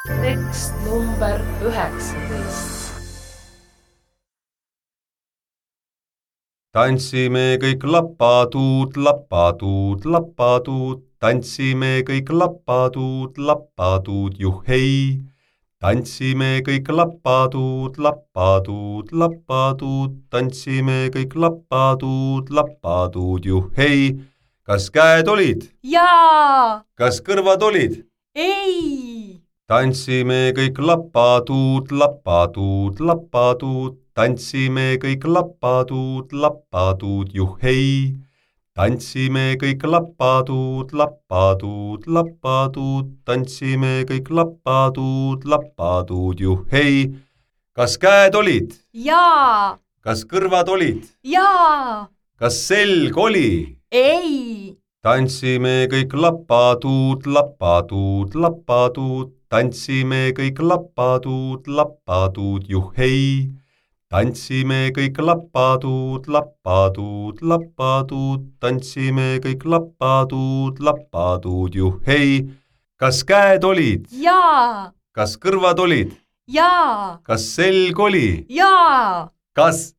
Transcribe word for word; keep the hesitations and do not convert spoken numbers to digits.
Tekst number üheksateist. Tantsime kõik lapatuud, lapatuud, lapatuud, tantsime kõik lapatuud, lapatuud, juhhei. Tantsime kõik lapatuud, lapatuud, lapatuud, tantsime kõik lapatuud, lapatuud, juhhei. Kas käed olid? Jaa! Kas kõrvad olid? Ei! Tantsime kõik lapatuud, lapatuud, lapatuud, tantsime kõik lapatuud, lapatuud, juhhei. Tantsime kõik lapatuud, lapatuud, lapatuud, tantsime kõik lapatuud, lapatuud, juhhei. Kas käed olid? Jaa! Kas kõrvad olid? Jaa! Kas selg oli? Ei! Tantsime kõik lapatuud, lapatuud, lapatuud, tantsime kõik lapatuud, lapatuud, juhhei. Tantsime kõik lapatuud, lapatuud, lapatuud, tantsime kõik lapatuud, lapatuud, juhhei. Kas käed olid? Jaa! Kas kõrvad olid? Jaa! Kas selg oli? Jaa! Kas